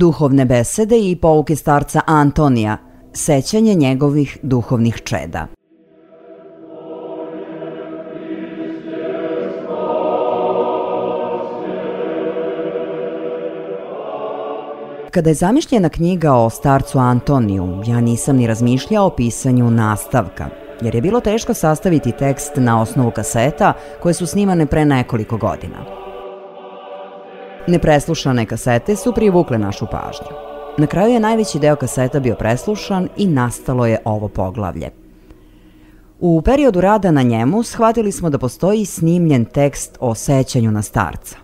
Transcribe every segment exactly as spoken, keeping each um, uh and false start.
Duhovne besede i pouke starca Antonija, sećanje njegovih duhovnih čeda. Kada je zamišljena knjiga o starcu Antoniju, ja nisam ni razmišljao o pisanju nastavka, jer je bilo teško sastaviti tekst na osnovu kaseta koje su snimane pre nekoliko godina. Nepreslušane kasete su privukle našu pažnju. Na kraju je najveći deo kaseta bio preslušan i nastalo je ovo poglavlje. U periodu rada na njemu shvatili smo da postoji snimljen tekst o sećanju na starca.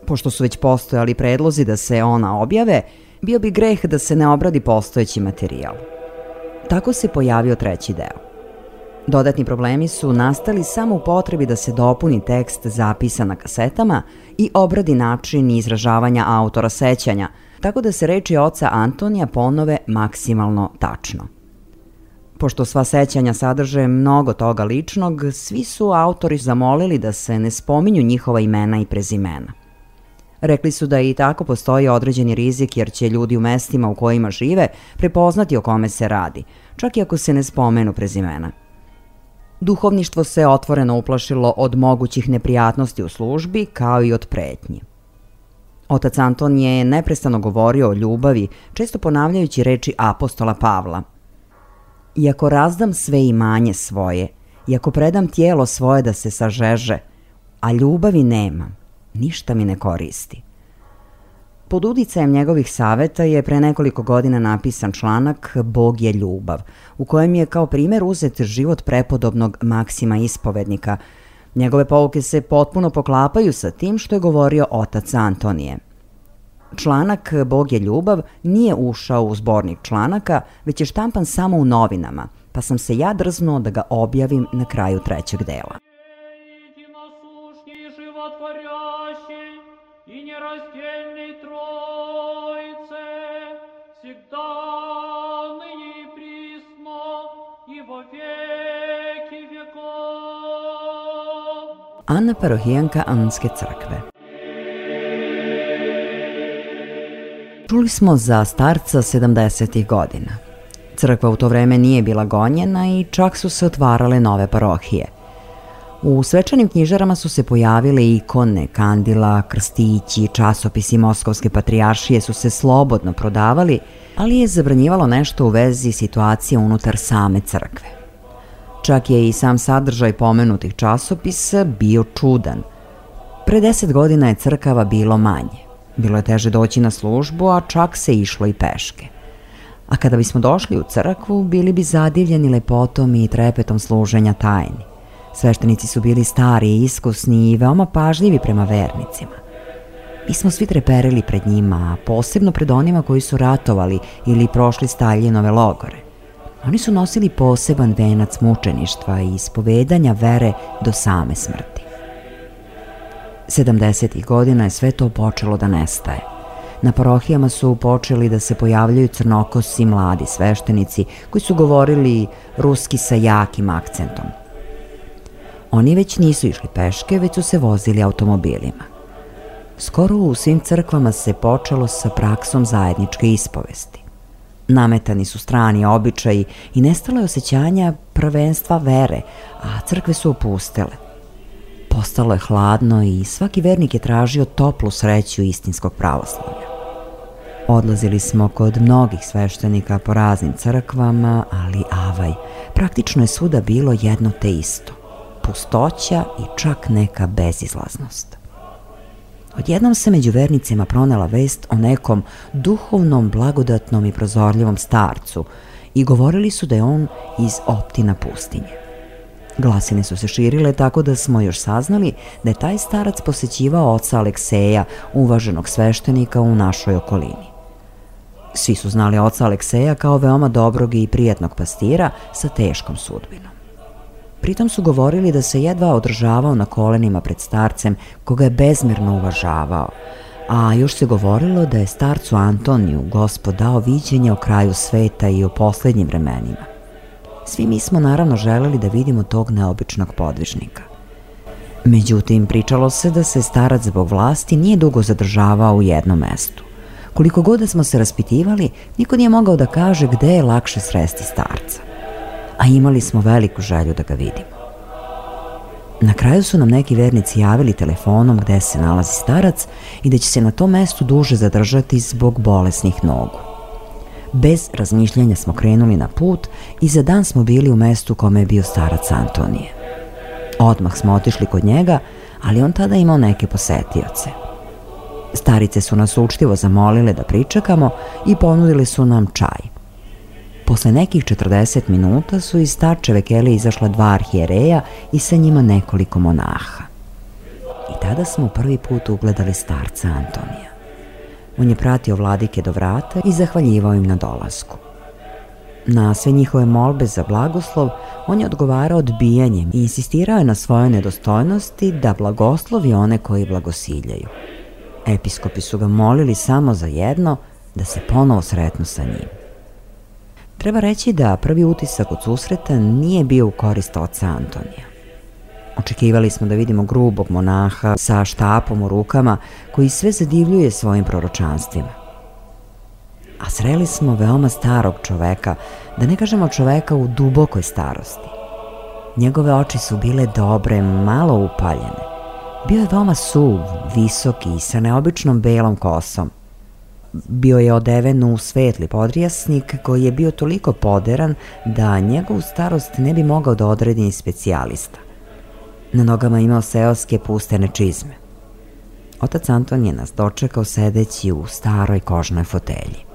Pošto su već postojali predlozi da se ona objave, bio bi greh da se ne obradi postojeći materijal. Tako se pojavio treći deo. Dodatni problemi su nastali samo u potrebi da se dopuni tekst zapisan na kasetama i obradi način izražavanja autora sećanja, tako da se reči oca Antonija ponove maksimalno tačno. Pošto sva sećanja sadrže mnogo toga ličnog, svi su autori zamolili da se ne spominju njihova imena i prezimena. Rekli su da i tako postoji određeni rizik jer će ljudi u mestima u kojima žive prepoznati o kome se radi, čak i ako se ne spomenu prezimena. Duhovništvo se otvoreno uplašilo od mogućih neprijatnosti u službi, kao i od pretnji. Otac Anton je neprestano govorio o ljubavi, često ponavljajući reči apostola Pavla. Iako razdam sve imanje svoje, iako predam tijelo svoje da se sažeže, a ljubavi nemam, ništa mi ne koristi. Pod uticajem njegovih saveta je pre nekoliko godina napisan članak Bog je ljubav, u kojem je kao primer uzet život prepodobnog Maksima Ispovednika. Njegove pouke se potpuno poklapaju sa tim što je govorio otac Antonije. Članak Bog je ljubav nije ušao u zbornik članaka, već je štampan samo u novinama, pa sam se ja drznuo da ga objavim na kraju trećeg dela. Anna Parohijanka Anske crkve. Čuli smo za starca sedamdesetih godina. Crkva u to vreme nije bila gonjena i čak su se otvarale nove parohije. U svečanim knjižarama su se pojavile ikone, kandila, krstići, časopisi Moskovske patrijaršije su se slobodno prodavali, ali je zabranjivalo nešto u vezi situacije unutar same crkve. Čak je i sam sadržaj pomenutih časopisa bio čudan. Pre deset godina je crkava bilo manje. Bilo je teže doći na službu, a čak se išlo i peške. A kada bismo došli u crkvu, bili bi zadivljeni lepotom i trepetom služenja tajni. Sveštenici su bili stari i iskusni i veoma pažljivi prema vernicima. Mi smo svi treperili pred njima, a posebno pred onima koji su ratovali ili prošli Staljinove logore. Oni su nosili poseban venac mučeništva i ispovedanja vere do same smrti. sedamdesetih godina je sve to počelo da nestaje. Na parohijama su počeli da se pojavljaju crnokosi mladi sveštenici koji su govorili ruski sa jakim akcentom. Oni već nisu išli peške, već su se vozili automobilima. Skoro u svim crkvama se počelo sa praksom zajedničke ispovesti. Nametani su strani običaji i nestalo je osjećanja prvenstva vere, a crkve su opustele. Postalo je hladno i svaki vernik je tražio toplu sreću istinskog pravoslavlja. Odlazili smo kod mnogih sveštenika po raznim crkvama, ali avaj, praktično je svuda bilo jedno te isto. Pustoća i čak neka bezizlaznost. Odjednom se među vernicima pronela vest o nekom duhovnom, blagodatnom i prozorljivom starcu i govorili su da je on iz Optina pustinje. Glasine su se širile tako da smo još saznali da je taj starac posećivao oca Alekseja, uvaženog sveštenika u našoj okolini. Svi su znali oca Alekseja kao veoma dobrog i prijatnog pastira sa teškom sudbinom. Pritom su govorili da se jedva održavao na kolenima pred starcem koga je bezmerno uvažavao, a još se govorilo da je starcu Antoniju Gospod dao viđenje o kraju sveta i o poslednjim vremenima. Svi mi smo naravno želeli da vidimo tog neobičnog podvižnika. Međutim, pričalo se da se starac zbog vlasti nije dugo zadržavao u jednom mestu. Koliko god da smo se raspitivali, niko nije mogao da kaže gde je lakše sresti starca. A imali smo veliku želju da ga vidimo. Na kraju su nam neki vernici javili telefonom gde se nalazi starac i da će se na tom mestu duže zadržati zbog bolesnih nogu. Bez razmišljanja smo krenuli na put i za dan smo bili u mestu kome je bio starac Antonije. Odmah smo otišli kod njega, ali on tada imao neke posetioce. Starice su nas učtivo zamolile da pričekamo i ponudili su nam čaj. Posle nekih četrdeset minuta su iz starčeve kelije izašla dva arhijereja i sa njima nekoliko monaha. I tada smo prvi put ugledali starca Antonija. On je pratio vladike do vrata i zahvaljivao im na dolasku. Na sve njihove molbe za blagoslov, on je odgovarao odbijanjem i insistirao je na svojoj nedostojnosti da blagoslovi one koji blagosiljaju. Episkopi su ga molili samo za jedno, da se ponovo sretnu sa njim. Treba reći da prvi utisak od susreta nije bio u korist oca Antonija. Očekivali smo da vidimo grubog monaha sa štapom u rukama koji sve zadivljuje svojim proročanstvima. A sreli smo veoma starog čoveka, da ne kažemo čoveka u dubokoj starosti. Njegove oči su bile dobre, malo upaljene. Bio je veoma suv, visoki i sa neobičnom belom kosom. Bio je odeven u svetli podrijasnik koji je bio toliko poderan da njegovu starost ne bi mogao da odredi ni specijalista. Na nogama imao seoske pustene čizme. Otac Anton je nas dočekao sedeći u staroj kožnoj fotelji.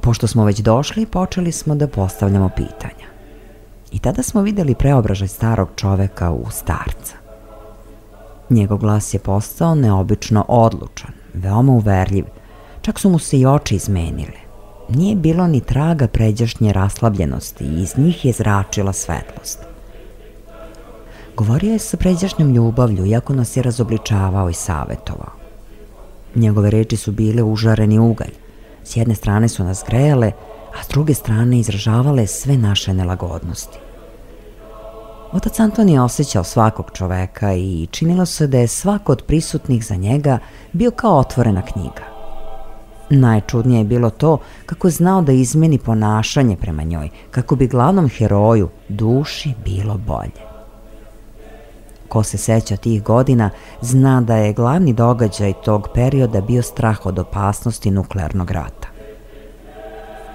Pošto smo već došli, počeli smo da postavljamo pitanja. I tada smo videli preobražaj starog čoveka u starca. Njegov glas je postao neobično odlučan, veoma uverljiv, čak su mu se i oči izmenile. Nije bilo ni traga pređašnje raslabljenosti i iz njih je zračila svetlost. Govorio je sa pređašnjom ljubavlju, iako nas je razobličavao i savetovao. Njegove reči su bile užareni ugalj. S jedne strane su nas grejale, a s druge strane izražavale sve naše nelagodnosti. Otac Anton je osjećao svakog čoveka i činilo se da je svako od prisutnih za njega bio kao otvorena knjiga. Najčudnije je bilo to kako je znao da izmeni ponašanje prema njoj, kako bi glavnom heroju, duši, bilo bolje. Ko se seća tih godina, zna da je glavni događaj tog perioda bio strah od opasnosti nuklearnog rata.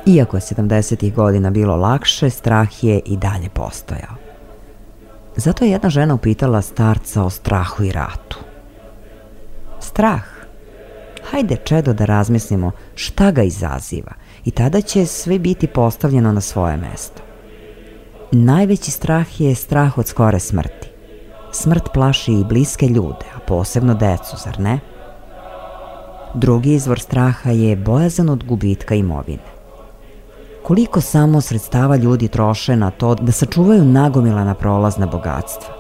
Iako je sedamdesetih godina bilo lakše, strah je i dalje postojao. Zato je jedna žena upitala starca o strahu i ratu. Strah? Hajde, čedo, da razmislimo šta ga izaziva i tada će sve biti postavljeno na svoje mesto. Najveći strah je strah od skore smrti. Smrt plaši i bliske ljude, a posebno decu, zar ne? Drugi izvor straha je bojazan od gubitka imovine. Koliko samo sredstava ljudi troše na to da sačuvaju nagomilana prolazna bogatstva.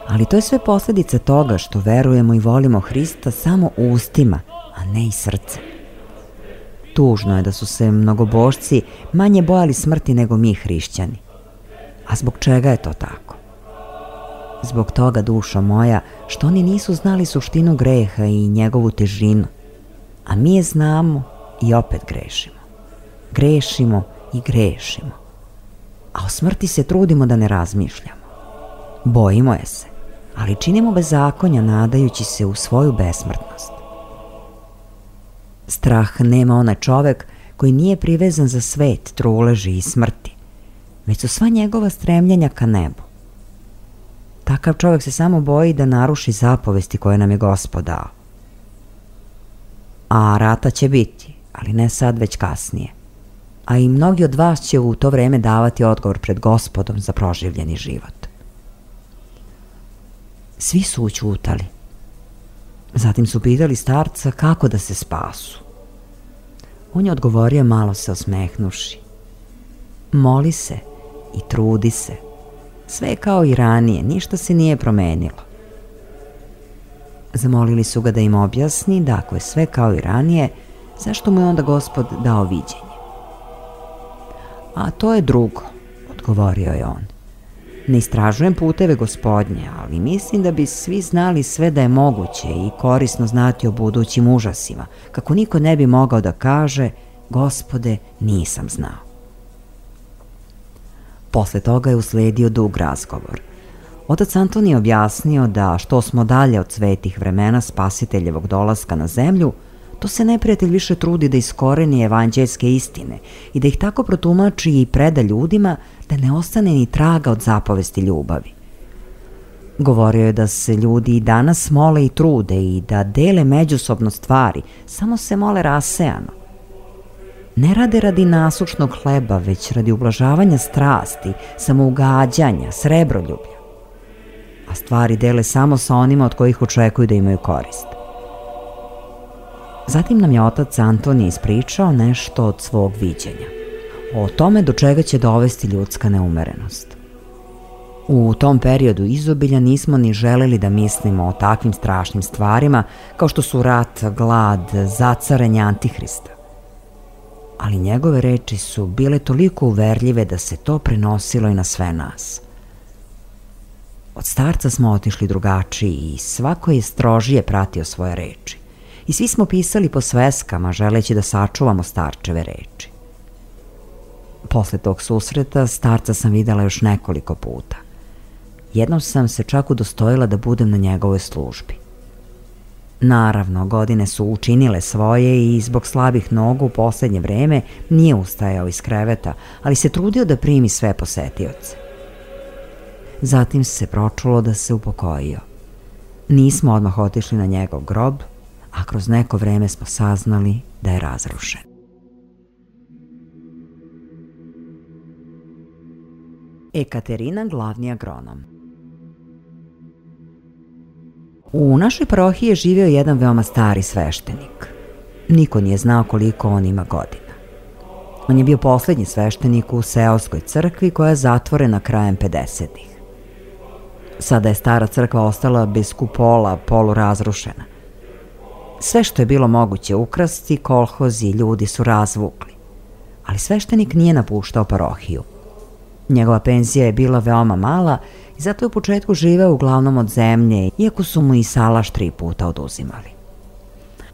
Ali to je sve posljedica toga što verujemo i volimo Hrista samo ustima, a ne i srcem. Tužno je da su se mnogobožci manje bojali smrti nego mi hrišćani. A zbog čega je to tako? Zbog toga, dušo moja, što oni nisu znali suštinu greha i njegovu težinu, a mi je znamo i opet grešimo. Grešimo i grešimo, a o smrti se trudimo da ne razmišljamo. Bojimo je se, ali činimo bezakonja nadajući se u svoju besmrtnost. Strah nema onaj čovek koji nije privezan za svet, truleži i smrti, već su sva njegova stremljenja ka nebu. Takav čovek se samo boji da naruši zapovesti koje nam je Gospod dao. A rata će biti, ali ne sad, već kasnije. A i mnogi od vas će u to vreme davati odgovor pred Gospodom za proživljeni život. Svi su ućutali. Zatim su pitali starca kako da se spasu. On je odgovorio malo se osmehnuši. Moli se i trudi se. Sve je kao i ranije, ništa se nije promenilo. Zamolili su ga da im objasni da ako je sve kao i ranije, zašto mu je onda Gospod dao viđenje? A to je drugo, odgovorio je on. Ne istražujem puteve Gospodnje, ali mislim da bi svi znali sve da je moguće i korisno znati o budućim užasima, kako niko ne bi mogao da kaže: Gospode, nisam znao. Posle toga je usledio dug razgovor. Otac Antonije je objasnio da što smo dalje od svetih vremena Spasiteljevog dolaska na zemlju, to se neprijatelj više trudi da iskoreni evanđeljske istine i da ih tako protumači i preda ljudima da ne ostane ni traga od zapovesti ljubavi. Govorio je da se ljudi i danas mole i trude i da dele međusobno stvari, samo se mole rasejano. Ne rade radi nasušnog hleba, već radi ublažavanja strasti, samougađanja, srebroljublja. A stvari dele samo sa onima od kojih očekuju da imaju korist. Zatim nam je otac Antonije ispričao nešto od svog viđenja, o tome do čega će dovesti ljudska neumerenost. U tom periodu izobilja nismo ni želeli da mislimo o takvim strašnim stvarima kao što su rat, glad, zacaranje Antihrista. Ali njegove reči su bile toliko uverljive da se to prenosilo i na sve nas. Od starca smo otišli drugačiji i svako je strožije pratio svoje reči. I svi smo pisali po sveskama, želeći da sačuvamo starčeve reči. Posle tog susreta starca sam videla još nekoliko puta. Jednom sam se čak udostojila da budem na njegovoj službi. Naravno, godine su učinile svoje i zbog slabih nogu u poslednje vreme nije ustajao iz kreveta, ali se trudio da primi sve posetioce. Zatim se pročulo da se upokojio. Nismo odmah otišli na njegov grob, a kroz neko vreme smo saznali da je razrušen. Ekaterina, glavni agronom. U našoj parohiji je živio jedan veoma stari sveštenik. Niko nije znao koliko on ima godina. On je bio poslednji sveštenik u seoskoj crkvi koja je zatvorena krajem pedesetih. Sada je stara crkva ostala bez kupola, polurazrušena. Sve što je bilo moguće ukrasti, kolhozi i ljudi su razvukli. Ali sveštenik nije napuštao parohiju. Njegova penzija je bila veoma mala i zato je u početku živeo uglavnom od zemlje, iako su mu i salaš tri puta oduzimali.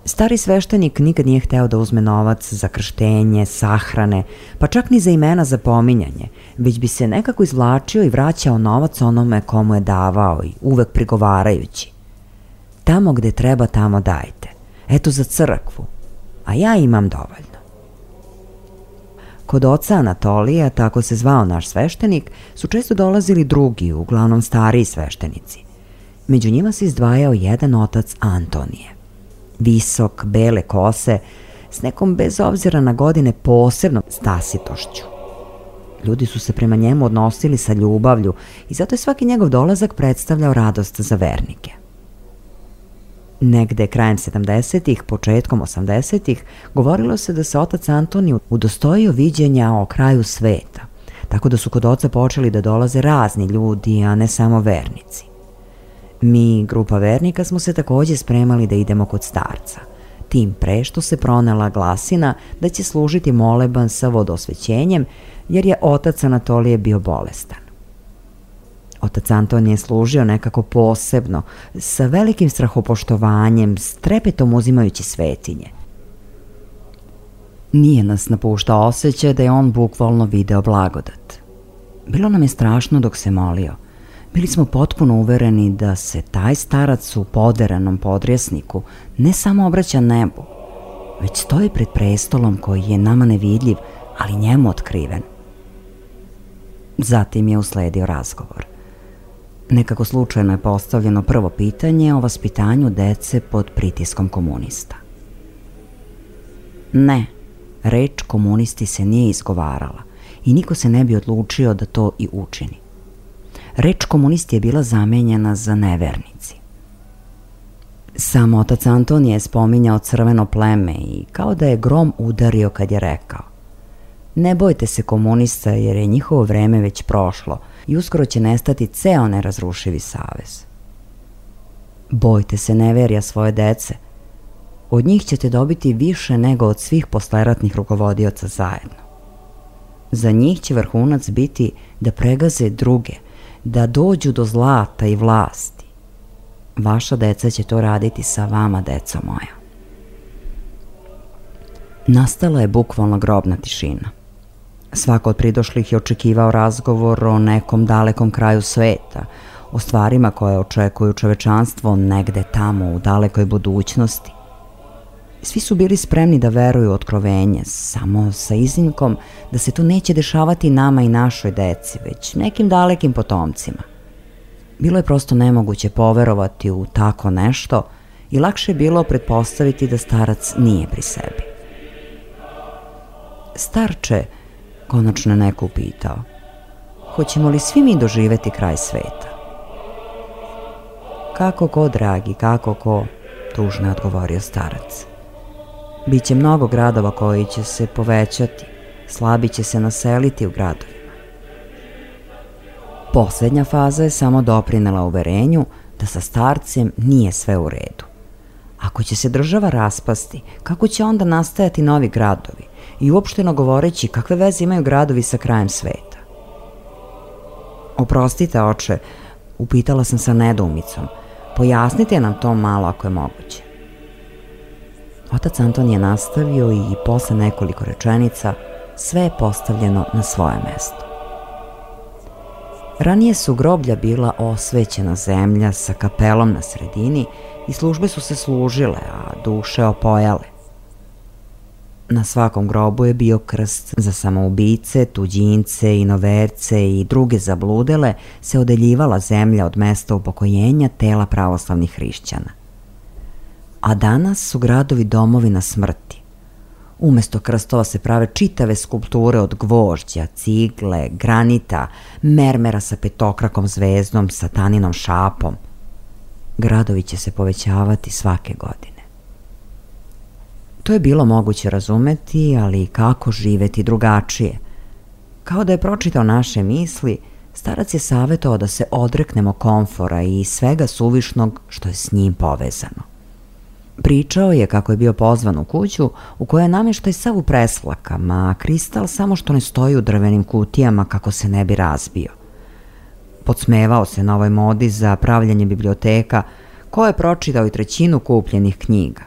Stari sveštenik nikad nije hteo da uzme novac za krštenje, sahrane, pa čak ni za imena za pominjanje, već bi se nekako izvlačio i vraćao novac onome komu je davao i uvek prigovarajući: tamo gde treba, tamo dajte. Eto za crkvu, a ja imam dovoljno. Kod oca Anatolija, tako se zvao naš sveštenik, su često dolazili drugi, uglavnom stariji sveštenici. Među njima se izdvajao jedan otac Antonije. Visok, bele kose, s nekom bez obzira na godine posebnom stasitošću. Ljudi su se prema njemu odnosili sa ljubavlju i zato je svaki njegov dolazak predstavljao radost za vernike. Negde krajem sedamdesetih, početkom osamdesetih, govorilo se da se otac Antonije udostojio viđenja o kraju sveta, tako da su kod oca počeli da dolaze razni ljudi, a ne samo vernici. Mi, grupa vernika, smo se takođe spremali da idemo kod starca, tim pre što se pronela glasina da će služiti moleban sa vodosvećenjem, jer je otac Anatolije bio bolestan. Otac Antonije je služio nekako posebno, sa velikim strahopoštovanjem, s trepetom uzimajući svetinje. Nije nas napuštao osjećaj da je on bukvalno video blagodat. Bilo nam je strašno dok se molio. Bili smo potpuno uvereni da se taj starac u poderanom podrijesniku ne samo obraća nebu, već stoji pred prestolom koji je nama nevidljiv, ali njemu otkriven. Zatim je usledio razgovor. Nekako slučajno je postavljeno prvo pitanje o vaspitanju dece pod pritiskom komunista. Ne, reč komunisti se nije izgovarala i niko se ne bi odlučio da to i učini. Reč komunisti je bila zamenjena za nevernici. Sam otac Antonije je spominjao crveno pleme i kao da je grom udario kad je rekao: ne bojte se komunista jer je njihovo vreme već prošlo i uskoro će nestati ceo nerazrušivi savez. Bojte se neverja svoje dece. Od njih ćete dobiti više nego od svih posleratnih rukovodioca zajedno. Za njih će vrhunac biti da pregaze druge, da dođu do zlata i vlasti. Vaša deca će to raditi sa vama, deco moja. Nastala je bukvalno grobna tišina. Svako od pridošlih je očekivao razgovor o nekom dalekom kraju sveta, o stvarima koje očekuju čovečanstvo negde tamo u dalekoj budućnosti. Svi su bili spremni da veruju u otkrovenje, samo sa iznimkom da se to neće dešavati nama i našoj deci, već nekim dalekim potomcima. Bilo je prosto nemoguće poverovati u tako nešto i lakše je bilo pretpostaviti da starac nije pri sebi. Starče, konačno je neko upitao, hoćemo li svi mi doživeti kraj sveta? Kako ko, dragi, kako ko, tužno je odgovorio starac. Biće mnogo gradova koji će se povećati, slabi će se naseliti u gradovima. Poslednja faza je samo doprinela uverenju da sa starcem nije sve u redu. Ako će se država raspasti, kako će onda nastajati novi gradovi i uopšteno govoreći kakve veze imaju gradovi sa krajem sveta? Oprostite, oče, upitala sam sa nedoumicom, pojasnite nam to malo ako je moguće. Otac Anton je nastavio i posle nekoliko rečenica sve je postavljeno na svoje mesto. Ranije su groblja bila osvećena zemlja sa kapelom na sredini i službe su se služile, a duše opojale. Na svakom grobu je bio krst za samoubice, tuđince, inoverce i druge zabludele, se odeljivala zemlja od mesta upokojenja tela pravoslavnih hrišćana. A danas su gradovi domovina smrti. Umesto krstova se prave čitave skulpture od gvožđa, cigle, granita, mermera sa petokrakom zvezdom, sataninom šapom. Gradovi će se povećavati svake godine. To je bilo moguće razumeti, ali kako živeti drugačije? Kao da je pročitao naše misli, starac je savjetovao da se odreknemo komfora i svega suvišnog što je s njim povezano. Pričao je kako je bio pozvan u kuću u kojoj je namještaj sav u preslakama, a kristal samo što ne stoji u drvenim kutijama kako se ne bi razbio. Podsmevao se na ovoj modi za pravljanje biblioteka, ko je pročitao i trećinu kupljenih knjiga.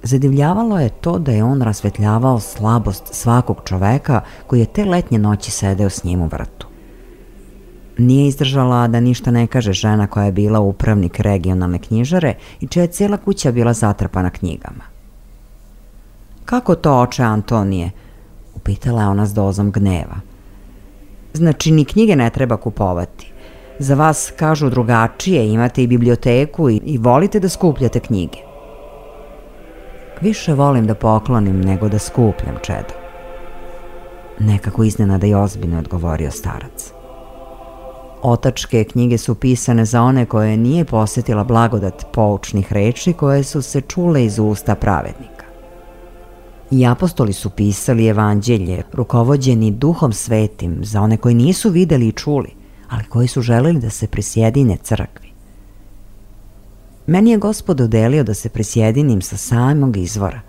Zadivljavalo je to da je on rasvetljavao slabost svakog čoveka koji je te letnje noći sedeo s njim u vrtu. Nije izdržala da ništa ne kaže žena koja je bila upravnik regionalne knjižare i čija je cijela kuća bila zatrpana knjigama. Kako to, oče Antonije? Upitala je ona s dozom gneva. Znači, ni knjige ne treba kupovati. Za vas kažu drugačije, imate i biblioteku i, i volite da skupljate knjige. Više volim da poklonim nego da skupljam, čedo. Nekako iznenada i ozbiljno odgovorio starac. Otačke knjige su pisane za one koje nije posjetila blagodat poučnih reči koje su se čule iz usta pravednika. I apostoli su pisali evanđelje, rukovođeni duhom svetim, za one koji nisu videli i čuli, ali koji su želeli da se prisjedine crkvi. Meni je Gospod dodelio da se prisjedinim sa samog izvora,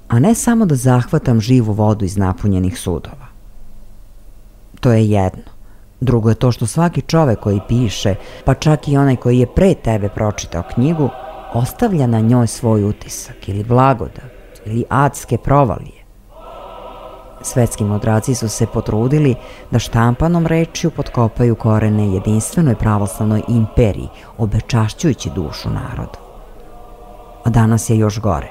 a ne samo da zahvatam živu vodu iz napunjenih sudova. To je jedno. Drugo je to što svaki čovek koji piše, pa čak i onaj koji je pre tebe pročitao knjigu, ostavlja na njoj svoj utisak ili blagodat ili adske provalije. Svetski mudraci su se potrudili da štampanom rečju potkopaju korene jedinstvenoj pravoslavnoj imperiji, obečašćujući dušu narodu. A danas je još gore.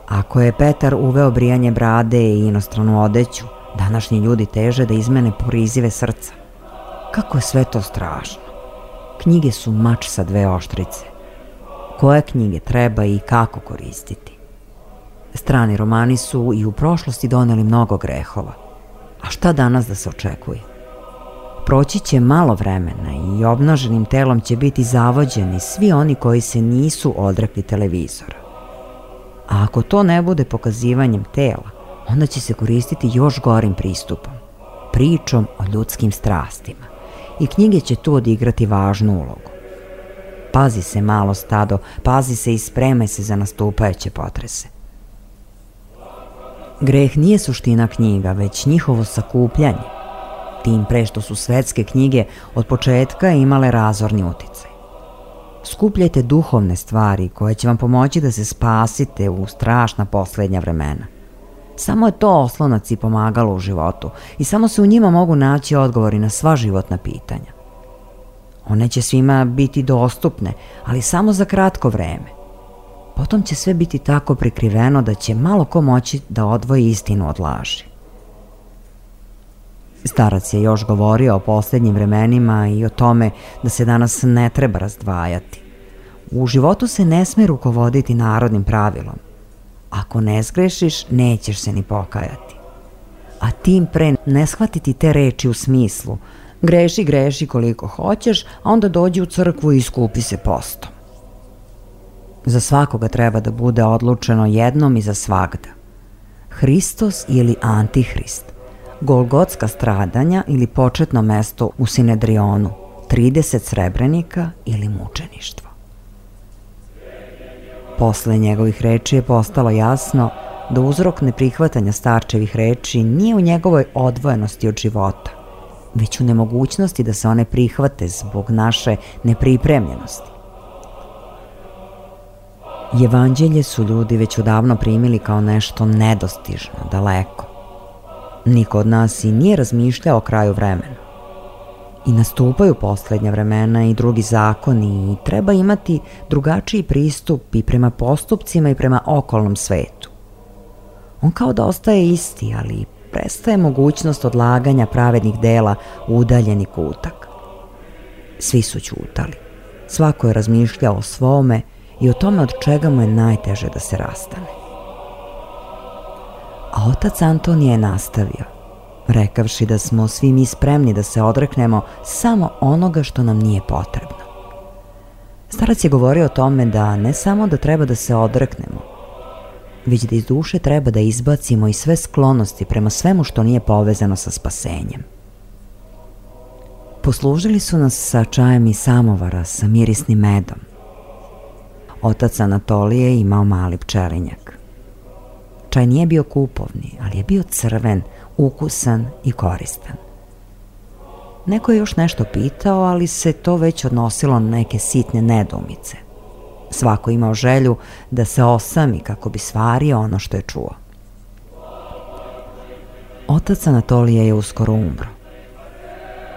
Ako je Petar uveo brijanje brade i inostranu odeću, današnji ljudi teže da izmene porizive srca. Kako je sve to strašno. Knjige su mač sa dve oštrice. Koje knjige treba i kako koristiti? Strani romani su i u prošlosti doneli mnogo grehova. A šta danas da se očekuje? Proći će malo vremena i obnaženim telom će biti zavođeni svi oni koji se nisu odrekli televizora. A ako to ne bude pokazivanjem tela, onda će se koristiti još gorim pristupom, pričom o ljudskim strastima. I knjige će tu odigrati važnu ulogu. Pazi se, malo stado, pazi se i spremaj se za nastupajuće potrese. Greh nije suština knjiga, već njihovo sakupljanje. tim pre što su svetske knjige od početka imale razorni uticaj. Skupljajte duhovne stvari koje će vam pomoći da se spasite u strašna poslednja vremena. Samo je to oslonac i pomagalo u životu i samo se u njima mogu naći odgovori na sva životna pitanja. One će svima biti dostupne, ali samo za kratko vreme. Potom će sve biti tako prikriveno da će malo ko moći da odvoji istinu od laži. Starac je još govorio o posljednjim vremenima i o tome da se danas ne treba razdvajati. U životu se ne sme rukovoditi narodnim pravilom. Ako ne zgrešiš, nećeš se ni pokajati. A tim pre ne shvatiti te reči u smislu greši, greši koliko hoćeš, a onda dođi u crkvu i iskupi se postom. Za svakoga treba da bude odlučeno jednom i za svagda. Hristos ili Antihrist, Golgotska stradanja ili početno mesto u Sinedrionu, trideset srebrenika ili mučeništvo. Posle njegovih reči je postalo jasno da uzrok neprihvatanja starčevih reči nije u njegovoj odvojenosti od života, već u nemogućnosti da se one prihvate zbog naše nepripremljenosti. Evanđelje su ljudi već odavno primili kao nešto nedostižno, daleko. Niko od nas i nije razmišljao o kraju vremena. I nastupaju poslednja vremena i drugi zakoni i treba imati drugačiji pristup i prema postupcima i prema okolnom svetu. On kao da ostaje isti, ali prestaje mogućnost odlaganja pravednih dela u udaljeni kutak. Svi su ćutali. Svako je razmišljao o svome i o tome od čega mu je najteže da se rastane. A otac Antonije je nastavio, rekavši da smo svi mi spremni da se odreknemo samo onoga što nam nije potrebno. Starac je govorio o tome da ne samo da treba da se odreknemo, već da iz duše treba da izbacimo i sve sklonosti prema svemu što nije povezano sa spasenjem. Poslužili su nas sa čajem i samovara, sa mirisnim medom. Otac Anatolije je imao mali pčelinjak. Čaj nije bio kupovni, ali je bio crven, ukusan i koristan. Neko je još nešto pitao, ali se to već odnosilo na neke sitne nedoumice. Svako imao želju da se osami kako bi stvario ono što je čuo. Otac Anatolije je uskoro umro.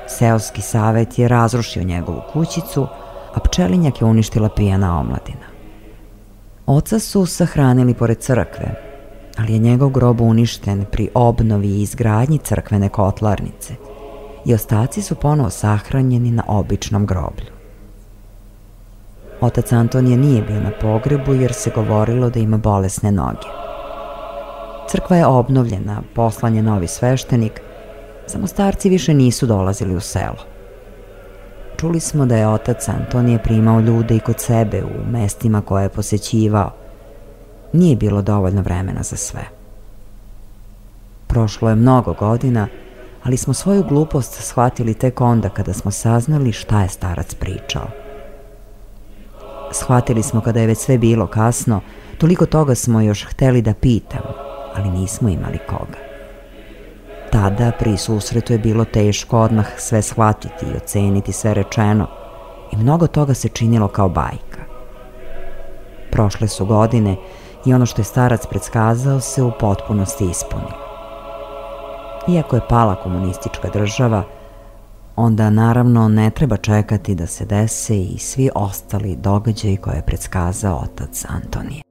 Seoski savet je razrušio njegovu kućicu, a pčelinjak je uništila pijana omladina. Oca su sahranili pored crkve, ali je njegov grob uništen pri obnovi i izgradnji crkvene kotlarnice i ostaci su ponovo sahranjeni na običnom groblju. Otac Antonije nije bio na pogrebu jer se govorilo da ima bolesne noge. Crkva je obnovljena, poslan je novi sveštenik, samo starci više nisu dolazili u selo. Čuli smo da je otac Antonije primao ljude i kod sebe u mestima koje je posećivao. Nije bilo dovoljno vremena za sve. Prošlo je mnogo godina, ali smo svoju glupost shvatili tek onda kada smo saznali šta je starac pričao. Shvatili smo kada je već sve bilo kasno, toliko toga smo još hteli da pitamo, ali nismo imali koga. Tada pri susretu je bilo teško odmah sve shvatiti i oceniti sve rečeno i mnogo toga se činilo kao bajka. Prošle su godine i ono što je starac predskazao se u potpunosti ispunilo. Iako je pala komunistička država, onda naravno ne treba čekati da se dese i svi ostali događaji koje je predskazao otac Antonije.